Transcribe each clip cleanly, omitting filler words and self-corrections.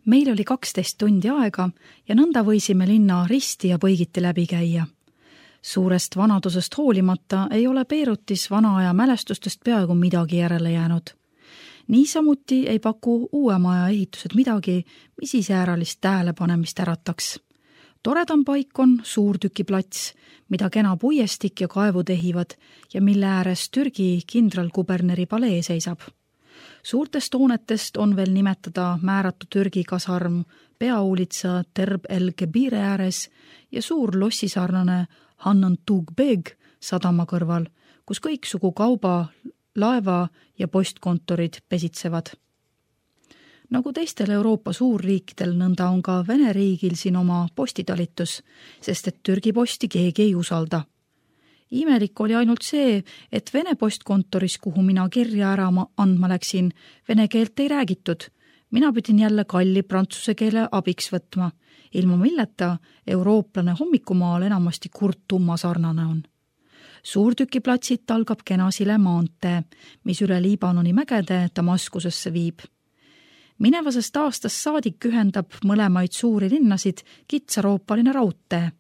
Meil oli 12 tundi aega ja nõnda võisime linna risti ja põigiti läbi käia. Suurest vanadusest hoolimata ei ole Beirutis vana aja mälestustest peaaegu midagi järele jäänud. Niisamuti ei paku uue maja ehitused midagi, mis iseäralist tähelepanemist ärataks. Toredam paik on suurtükiplats, mida kena puiestik ja kaevud ehivad ja mille ääres Türgi kindralkuberneri palee seisab. Suurtest hoonetest on veel nimetada määratu Türgi kasarm peaulitsa Terb el-Kebire ääres ja suur lossisarnane Hannan Tugbeg sadama kõrval, kus kõiksugu kauba, laeva ja postkontorid pesitsevad. Nagu teistel Euroopa suurriikidel, nõnda on ka Vene riigil siin oma postitalitus, sest et Türgi posti keegi ei usalda. Imelik oli ainult see, et Vene postkontoris, kuhu mina kirja ära andma läksin, vene keelt ei räägitud. Mina pidin jälle kalli prantsuse keele abiks võtma, ilma milleta eurooplane hommikumaal enamasti kurtumma sarnane on. Suurtükiplatsit algab Kenasile maantee, mis üle Liibanoni mägede Damaskusesse viib. Minevasest aastast saadik ühendab mõlemaid suuri linnasid kitsaroopaline raudtee.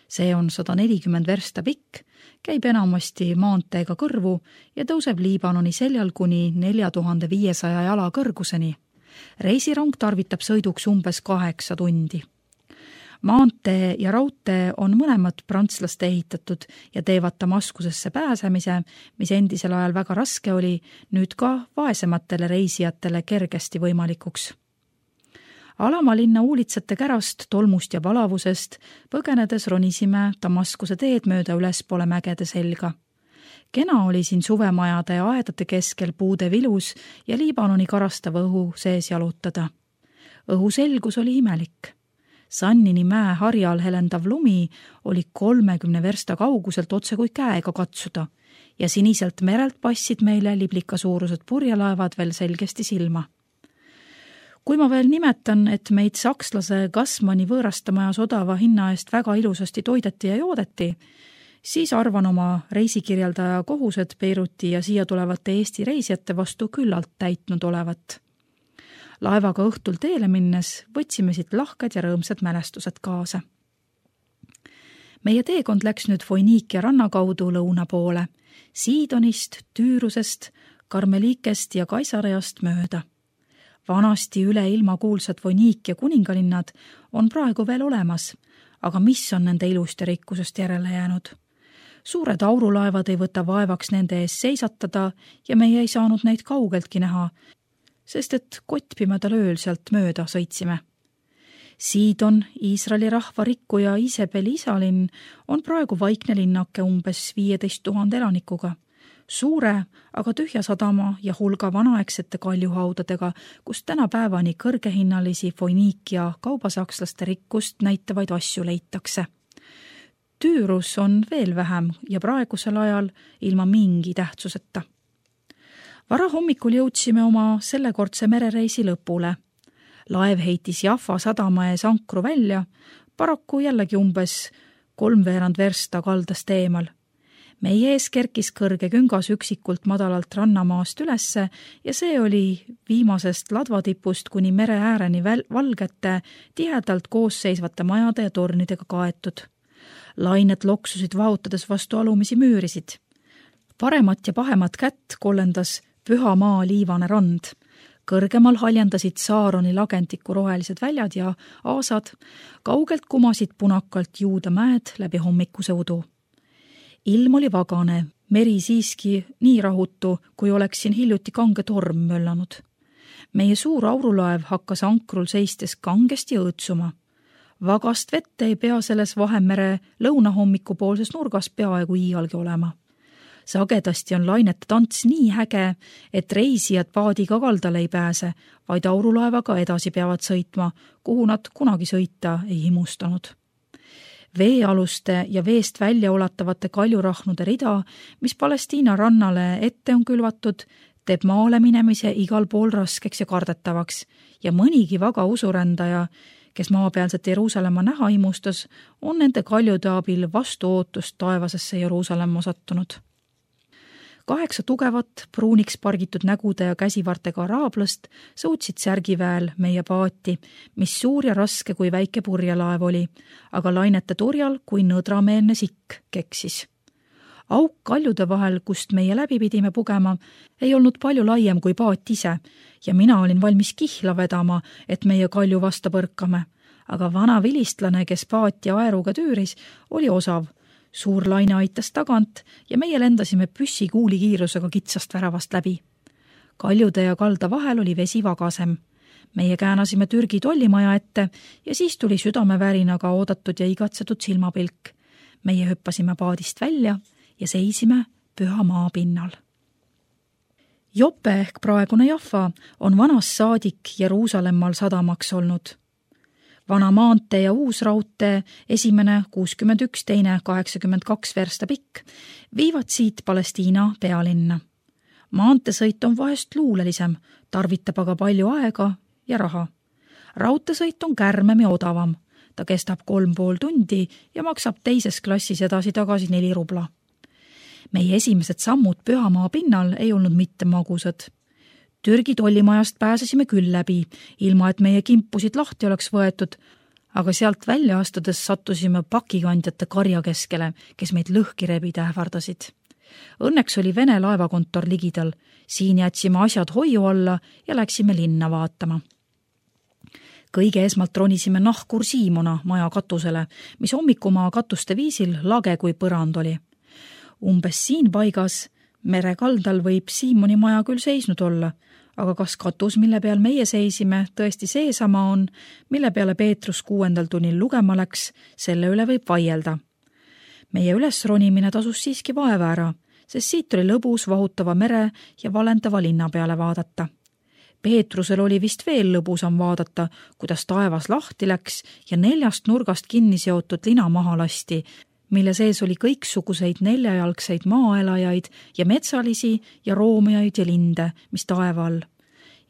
See on 140 versta pikk, käib enamasti maanteega kõrvu ja tõuseb Liibanoni seljal kuni 4500 jala kõrguseni. Reisirong tarvitab sõiduks umbes 8 tundi. Maantee ja raudtee on mõlemad prantslaste ehitatud ja teevad Damaskusesse pääsemise, mis endisel ajal väga raske oli, nüüd ka vaesematele reisijatele kergesti võimalikuks. Alamalinna uulitsate kärast, tolmust ja palavusest põgenedes ronisime Damaskuse teed mööda ülespoole mägede selga. Kena oli siin suvemajade ja aedade keskel puude vilus ja Liibanoni karastava õhu sees jalutada. Õhu selgus oli imelik. Sannini mäe harjal helendav lumi oli 30 versta kauguselt otse kui käega katsuda ja siniselt merelt passid meile liblika suurused purjelaevad veel selgesti silma. Kui ma veel nimetan, et meid sakslase Gassmanni võõrastamajas odava hinna eest väga ilusasti toideti ja joodeti, siis arvan oma reisikirjeldaja kohused Beiruti ja siia tulevate Eesti reisijate vastu küllalt täitnud olevat. Laevaga õhtul teele minnes võtsime siit lahked ja rõõmsad mälestused kaasa. Meie teekond läks nüüd Foiniikia ranna kaudu lõuna poole, Siidonist, Tüürusest, Karmelikest ja Kaisareast mööda. Vanasti üle ilma kuulsad Foiniikia kuningalinnad on praegu veel olemas, aga mis on nende ilust ja rikkusest järele jäänud? Suured aurulaevad ei võta vaevaks nende ees seisatada ja meie ei saanud neid kaugeltki näha, sest et kottpimedal ööl sealt mööda sõitsime. Siidon, Iisraeli rahva rikkuja Isebeli isalinn, on praegu vaikne linnake umbes 15 000 elanikuga. Suure, aga tühja sadama ja hulga vanaaegsete kaljuhaudadega, kus tänapäevani kõrgehinnalisi Foiniikia kaubasakslaste rikkust näitavaid asju leitakse. Tüürus on veel vähem ja praegusel ajal ilma mingi tähtsuseta. Varahommikul jõudsime oma sellekordse merereisi lõpule. Laev heitis Jaffa sadama ees ankru välja, paraku jällegi umbes 3/4 versta kaldast eemal. Meie ees kerkis kõrge küngas üksikult madalalt rannamaast ülesse ja see oli viimasest ladvatipust kuni mere ääreni valgete, tihedalt koosseisvate majade ja tornidega kaetud. Lained loksusid vahutades vastu alumisi müürisid. Paremat ja pahemat kätt kollendas püha maa liivane rand. Kõrgemal haljendasid Saaroni lagentiku rohelised väljad ja aasad, kaugelt kumasid punakalt Juuda mäed läbi hommikuse udu. Ilm oli vagane, meri siiski nii rahutu, kui oleks siin hiljuti kange torm möllanud. Meie suur aurulaev hakkas ankrul seistes kangesti õõtsuma. Vagast vette ei pea selles Vahemere lõunahommikupoolses nurgas peaaegu iialgi olema. Sagedasti on lainete tants nii häge, et reisijad paadiga kaldale ei pääse, vaid aurulaevaga edasi peavad sõitma, kuhu nad kunagi sõita ei himustanud. Veealuste ja veest välja ulatavate kaljurahnude rida, mis Palestiina rannale ette on külvatud, teeb maale minemise igal pool raskeks ja kardetavaks ja mõnigi vaga usurändaja, kes maapealset Jeruusalemma näha imustas, on nende kaljude abil vastu ootust taevasesse Jeruusalemma sattunud. 8 tugevat, pruuniks pargitud nägude ja käsivartega araablast sõutsid särgiväel meie paati, mis suur ja raske kui väike purjelaev oli, aga lainete turjal kui nõdrameelne sikk keksis. Auk kaljude vahel, kust meie läbi pidime pugema, ei olnud palju laiem kui paat ise ja mina olin valmis kihla vedama, et meie kalju vasta põrkame. Aga vana vilistlane, kes paati aeruga tüüris, oli osav. Suur laine aitas tagant ja meie lendasime püssikuuli kiirusega kitsast väravast läbi. Kaljude ja kalda vahel oli vesi vagasem. Meie käänasime Türgi tollimaja ette ja siis tuli südamevärinaga oodatud ja igatsetud silmapilk. Meie hüppasime paadist välja ja seisime püha maa pinnal. Jope ehk praegune Jaffa on vanast saadik Jeruusalemmal sadamaks olnud. Vana maantee ja uus raudtee, esimene 61, teine 82 versta pikk, viivad siit Palestiina pealinna. Maanteesõit on vahest luulelisem, tarvitab aga palju aega ja raha. Raudteesõit on kärmem ja odavam. Ta kestab 3,5 tundi ja maksab teises klassis edasi-tagasi 4 rubla. Meie esimesed sammud pühamaa pinnal ei olnud mitte magusad. Türgi tollimajast pääsesime küll läbi, ilma et meie kimpusid lahti oleks võetud, aga sealt välja astudes sattusime pakikandjate karja keskele, kes meid lõhki rebida ähvardasid. Õnneks oli Vene laevakontor ligidal, siin jätsime asjad hoiu alla ja läksime linna vaatama. Kõige esmalt ronisime nahkur Siimona maja katusele, mis hommikumaa katuste viisil lage kui põrand oli. Umbes siin paigas merekaldal võib Siimoni maja küll seisnud olla, aga kas katus, mille peal meie seisime, tõesti seesama on, mille peale Peetrus 6. tunnil lugema läks, selle üle võib vaielda. Meie ülesronimine tasus siiski vaeva ära, sest siit oli lõbus vahutava mere ja valendava linna peale vaadata. Peetrusel oli vist veel lõbusam vaadata, kuidas taevas lahti läks ja 4 nurgast kinni seotud lina maha lasti, mille sees oli kõiksuguseid 4-jalgseid maaelajaid ja metsalisi ja roomiaid ja linde, mis taeva all.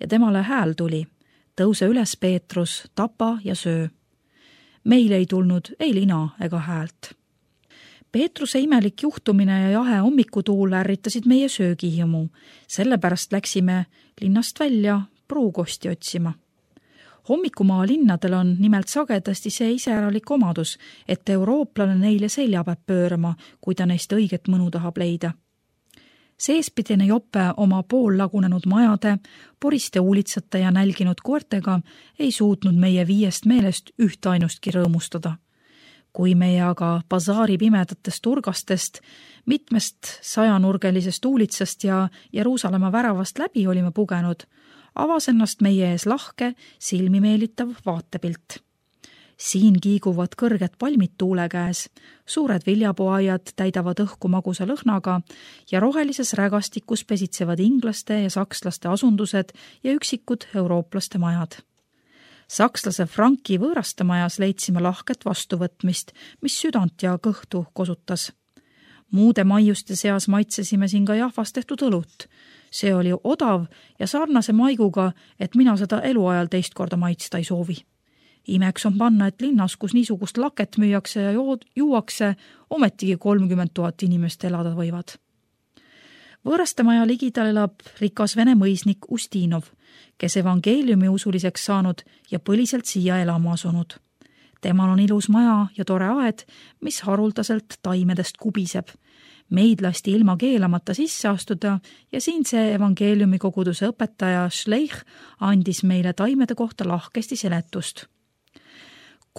Ja temale hääl tuli. Tõuse üles, Peetrus, tapa ja söö. Meil ei tulnud ei lina ega häält. Peetruse imelik juhtumine ja jahe hommikutuul ärritasid meie söögihimu. Sellepärast läksime linnast välja pruukosti otsima. Hommikumaa linnadel on nimelt sagedasti see iseäralik omadus, et eurooplane neile selja peab pöörama, kui ta neist õiget mõnu tahab leida. Seespidine Jope oma poollagunenud majade, poriste uulitsate ja nälginud koertega ei suutnud meie 5 meelest ühtainustki rõõmustada. Kui meie aga basaari pimedatest turgastest, mitmest 100-nurgelisest uulitsast ja Jeruusalemma väravast läbi olime pugenud, avas ennast meie ees lahke, silmi meelitav vaatepilt. Siin kiiguvad kõrged palmid tuule käes, suured viljapuaiad täidavad õhku magusa lõhnaga ja rohelises rägastikus pesitsevad inglaste ja sakslaste asundused ja üksikud eurooplaste majad. Sakslase Franki võõraste majas leidsime lahket vastuvõtmist, mis südant ja kõhtu kosutas. Muude maiuste seas maitsesime siin ka Jahvas tehtud õlut. See oli odav ja sarnase maiguga, et mina seda eluajal teist korda maitsta ei soovi. Imeks on panna, et linnas, kus niisugust laket müüakse ja juuakse, ometigi 30 000 inimest elada võivad. Võõraste maja ligidal elab rikas vene mõisnik Ustinov, kes evangeeliumi usuliseks saanud ja põliselt siia elama asunud. Temal on ilus maja ja tore aed, mis haruldaselt taimedest kubiseb. Meid lasti ilma keelamata sisse astuda ja siin see evangeeliumi koguduse õpetaja Schleich andis meile taimede kohta lahkesti seletust.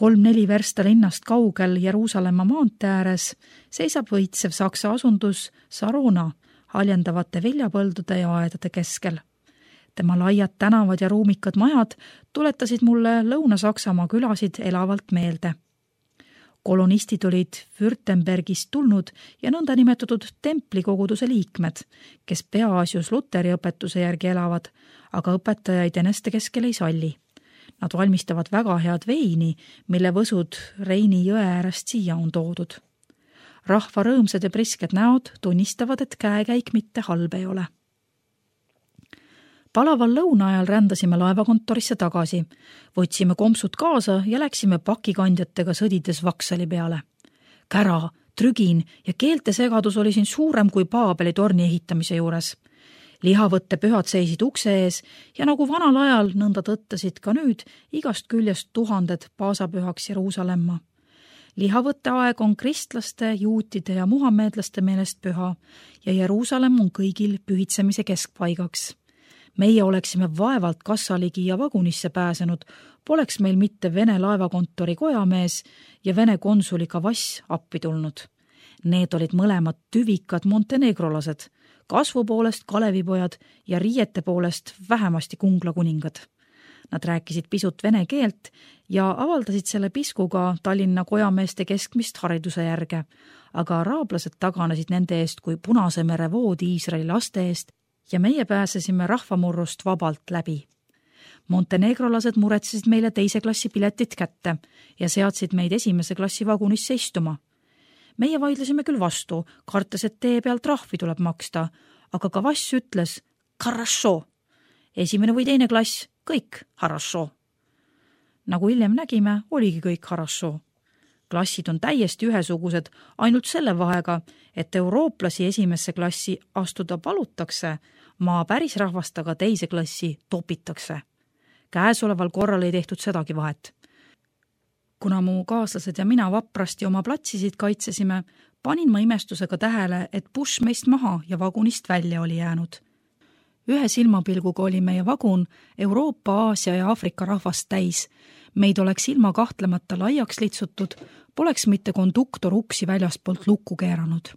3-4 versta linnast kaugel Jeruusalemma maantee ääres seisab võitsev saksa asundus Sarona haljendavate viljapõldude ja aedade keskel. Tema laiad tänavad ja ruumikad majad tuletasid mulle Lõuna-Saksamaa külasid elavalt meelde. Kolonistid olid Württembergist tulnud ja nõnda nimetatud templikoguduse liikmed, kes peaasjus Luteri õpetuse järgi elavad, aga õpetajaid eneste keskel ei salli. Nad valmistavad väga head veini, mille võsud Reini jõe äärest siia on toodud. Rahva rõõmsad ja prisked näod tunnistavad, et käekäik mitte halb ei ole. Palaval lõuna ajal rändasime laevakontorisse tagasi, võtsime kompsud kaasa ja läksime pakikandjatega sõdides Vaksali peale. Kära, Trügin ja keelte segadus oli siin suurem kui Paabeli torni ehitamise juures. Lihavõtte pühad seisid ukse ees ja nagu vanal ajal nõnda tõttasid ka nüüd igast küljest tuhanded paasapühaks Jeruusalemma. Lihavõtte aeg on kristlaste, juutide ja muhammeedlaste meelest püha ja Jeruusalemm on kõigil pühitsemise keskpaigaks. Meie oleksime vaevalt kassaligi ja vagunisse pääsenud, poleks meil mitte Vene laevakontori kojamees ja Vene konsuli Kavass appi tulnud. Need olid mõlemad tüvikad montenegrolased, kasvu poolest Kalevipojad ja riiete poolest vähemasti Kungla kuningad. Nad rääkisid pisut vene keelt ja avaldasid selle piskuga Tallinna kojameeste keskmist hariduse järge, aga araablased taganesid nende eest kui Punase mere vood Iisraeli laste eest ja meie pääsesime rahvamurrust vabalt läbi. Montenegrolased muretsesid meile teise klassi piletit kätte ja seadsid meid esimese klassi vagunisse istuma. Meie vaidlesime küll vastu, kartes, et tee pealt trahvi tuleb maksta, aga Kavass ütles «Хорошо». Esimene või teine klass, kõik «Хорошо». Nagu hiljem nägime, oligi kõik «Хорошо». Klassid on täiesti ühesugused, ainult selle vahega, et eurooplasi esimesse klassi astuda palutakse, maa päris rahvastaga teise klassi topitakse. Käesoleval korral ei tehtud sedagi vahet. Kuna mu kaaslased ja mina vaprasti oma platsisid kaitsesime, panin ma imestusega tähele, et buss meist maha ja vagunist välja oli jäänud. Ühe silmapilguga oli meie vagun Euroopa, Aasia ja Aafrika rahvast täis. Meid oleks ilma kahtlemata laiaks litsutud, poleks mitte konduktor uksi väljaspoolt lukku keeranud.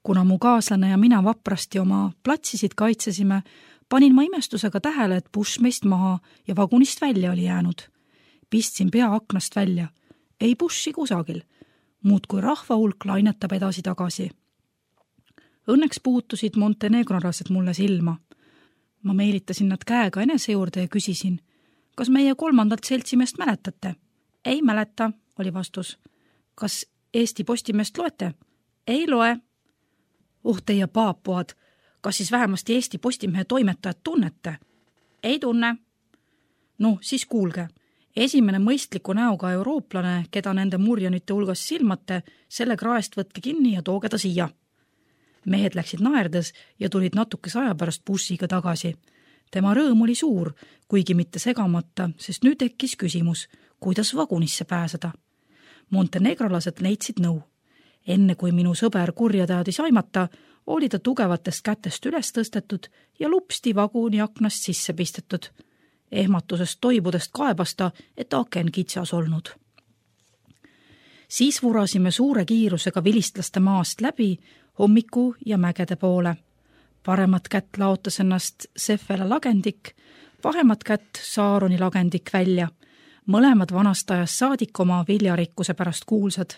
Kuna mu kaaslane ja mina vaprasti oma platsisid kaitsesime, panin ma imestusega tähele, et buss meist maha ja vagunist välja oli jäänud. Pistsin pea aknast välja. Ei bussi kusagil. Muud kui rahva hulk lainetab edasi-tagasi. Õnneks puutusid montenegrolased mulle silma. Ma meelitasin nad käega enese juurde ja küsisin, kas meie kolmandalt seltsimeest mäletate? Ei mäleta, oli vastus. Kas Eesti Postimeest loete? Ei loe. Teie paapuad, kas siis vähemasti Eesti Postimehe toimetajad tunnete? Ei tunne. Siis kuulge. Esimene mõistliku näoga eurooplane, keda nende murjanite hulgas silmate, selle kraest võtke kinni ja tooge ta siia. Mehed läksid naerdes ja tulid natukese aja pärast bussiga tagasi. Tema rõõm oli suur, kuigi mitte segamata, sest nüüd tekkis küsimus, kuidas vagunisse pääseda. Montenegrolased leidsid nõu. Enne kui minu sõber kurja teadis aimata, oli ta tugevatest kätest üles tõstetud ja lupsti vaguni aknast sisse pistetud. Ehmatusest toibudest kaebas ta, et aken kitsas olnud. Siis vurasime suure kiirusega vilistlaste maast läbi hommiku ja mägede poole. Paremat kätt laotas ennast Sefela lagendik, vahemat kätt Saaroni lagendik välja. Mõlemad vanast ajast saadik oma viljarikkuse pärast kuulsad.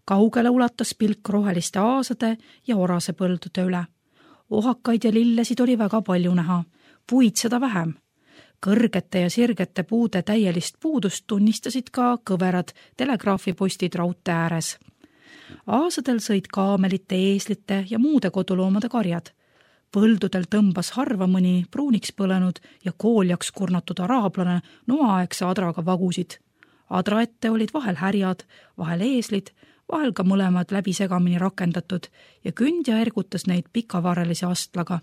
Kaugele ulatas pilk roheliste aasade ja orase põldude üle. Ohakaid ja lillesid oli väga palju näha, puid seda vähem. Kõrgete ja sirgete puude täielist puudust tunnistasid ka kõverad telegraafipostid raudtee ääres. Aasadel sõid kaamelite, eeslite ja muude koduloomade karjad. Põldudel tõmbas harva mõni pruuniks põlenud ja kooljaks kurnatud araablane noaaegse adraga vagusid. Adra ette olid vahel härjad, vahel eeslid, vahel ka mõlemad läbisegamini rakendatud ja kündja ergutas neid pikavarelise astlaga.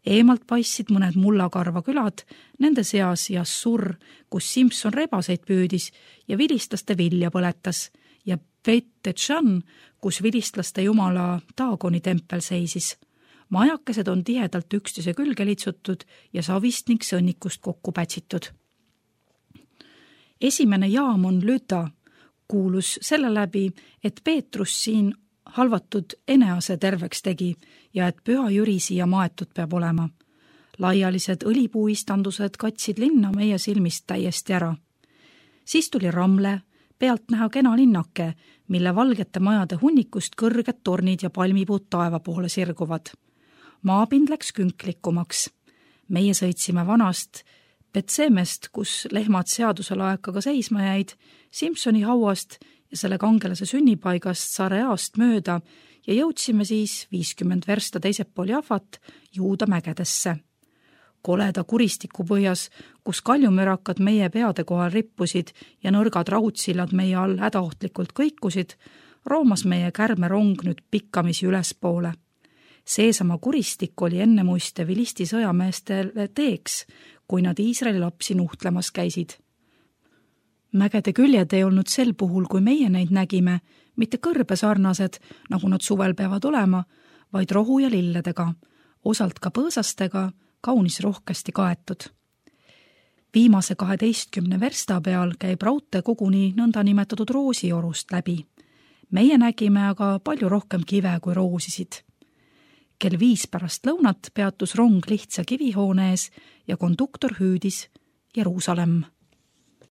Eemalt paistsid mõned mullakarva külad, nende seas Jassur, kus Simson rebaseid püüdis ja vilistlaste vilja põletas, ja Beit-Tšan, kus vilistlaste jumala Daagoni tempel seisis. Majakesed on tihedalt üksteise külge litsutud ja savist ning sõnnikust kokku pätsitud. Esimene jaam on Lüta, kuulus selle läbi, et Peetrus siin halvatud Enease terveks tegi ja et Püha Jüri siia maetud peab olema. Laialised õlipuuistandused katsid linna meie silmist täiesti ära. Siis tuli Ramle, pealt näha kena linnake, mille valgete majade hunnikust kõrged tornid ja palmipuud taeva poole sirguvad. Maapind läks künklikumaks. Meie sõitsime vanast Betsemest, kus lehmad seadusel aekaga seisma jäid, Simsoni hauast ja selle kangelase sünnipaigast Sareast mööda ja jõudsime siis 50 versta teiselt pool Jafat Juuda mägedesse. Koleda kuristiku põhjas, kus kaljumürakad meie peade kohal rippusid ja nõrgad raudsillad meie all hädaohtlikult kõikusid, roomas meie kärmerong nüüd pikkamisi ülespoole. Seesama kuristik oli enne muiste Filisti sõjameestele teeks, kui nad Iisraeli lapsi nuhtlemas käisid. Mägede küljed ei olnud sel puhul, kui meie neid nägime, mitte kõrbesarnased, nagu nad suvel peavad olema, vaid rohu ja lilledega, osalt ka põõsastega, kaunis rohkesti kaetud. Viimase 12 versta peal käib raudtee koguni nõndanimetatud roosiorust läbi. Meie nägime aga palju rohkem kive kui roosisid. Kell 5 pärast lõunat peatus rong lihtsa kivihoone ees ja konduktor hüüdis Jeruusalemm.